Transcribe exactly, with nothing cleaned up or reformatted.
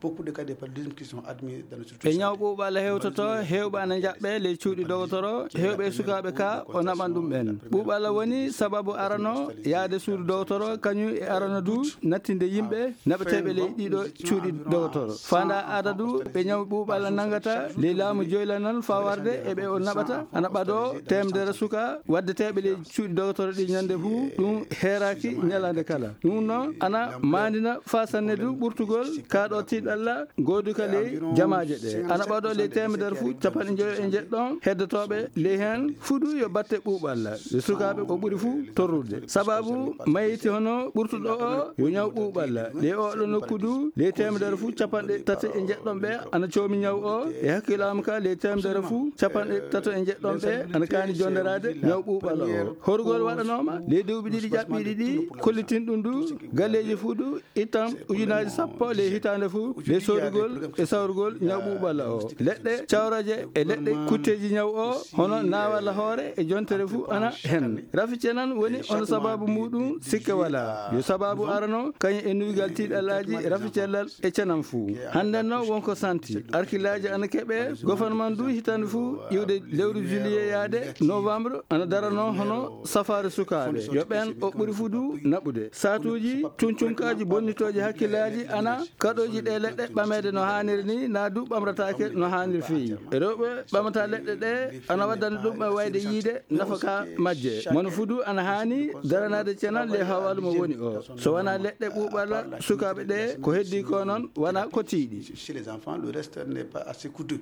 Beaucoup de cas de paludisme qui sont admis dans le structure. E ñaw ɓuuɓala hewtoto, heewɓe ana njaɓɓe ley cuuɗi dogotoro, heewɓe e sukaaɓe ka o naɓan ɗum ɓen. Ɓuuɓala woni sababu arano yaade suudu dogotoro, kañum e arano du nattinde yimɓe naɓeteeɓe ley ɗiɗo cuuɗi dogotoro. Fanda adadu ɓe ñaw ɓuuɓala nangata ley laamu joylanal fawarde e ɓe o naɓata, ana ɓado teemedere suka waddeteeɓe ley cuuɗi dogotoro ɗi ñande fu, ɗum heeraki ñalande kala. Ɗum noon ana maandina faa sanne du ɓurtugol kaaɗo tiiɗalla gooduka ley jamaaje ɗe. Ana ɓado ley teemedere fu capanɗe njoyo e njeɗɗon heddotooɓe ley heen fu du yo batte ɓuuɓalla. Yo sukaaɓe o ɓuri fu torrude. Sababu mayiti hono ɓurtuɗo o yo ñaw ɓuuɓalla. Ley oɗo nokku du ley teemedere fu capanɗe tati e njeɗɗon ɓe ana coomi ñaw o. E hakkilaam ka ley teemedere fu capanɗe tato e njeɗɗon ɓe ana kaani jonderaade ñaw ɓuuɓalla o. Horugol waɗanooma ley duuɓi ɗiɗi ƴaɓɓiiɗi ɗi, kollitin ɗum du galleeji fu du ittan ujunaaji sappo ley hitaande fu ley soodugol e sawrugol ñaw ɓuuɓalla o. Leɗɗe cawraje e leɗɗe kutteeji ñaw o hono naawalla hoore e jontere fu ana hen. Rafi cenan woni hono sababu muɗum sikke wala. Yo sababu arano kañum e nuygal tiiɗalaaji rafi cellal e cenan fu. Hannden noon wonko santi. Arkilaaji ana keɓe, gouvernement du hitaande fu iwde lewru juillet yaade novembre ana darano hono safaare sukaaɓe. Yo ɓen o ɓuri fu du naɓude. Saatuuji, cuncunkaaji bonnitooji hakkillaaji ana kaɗooji ɗe leɗɗe ɓameede no haaniri ni, naa du ɓamrataake no haaniri feewi. E rewɓe ɓamata leɗɗe ɗe ana waddani ɗum e wayde yiide nafa ka majje. Mono fu du ana haani daranaade cenan ley hawaalu mo woni o. So wonaa leɗɗe ɓuuɓalla sukaaɓe ɗe, ko heddi ko noon wonaa kotiiɗi. Chez les enfants, le reste n'est pas assez coûteux.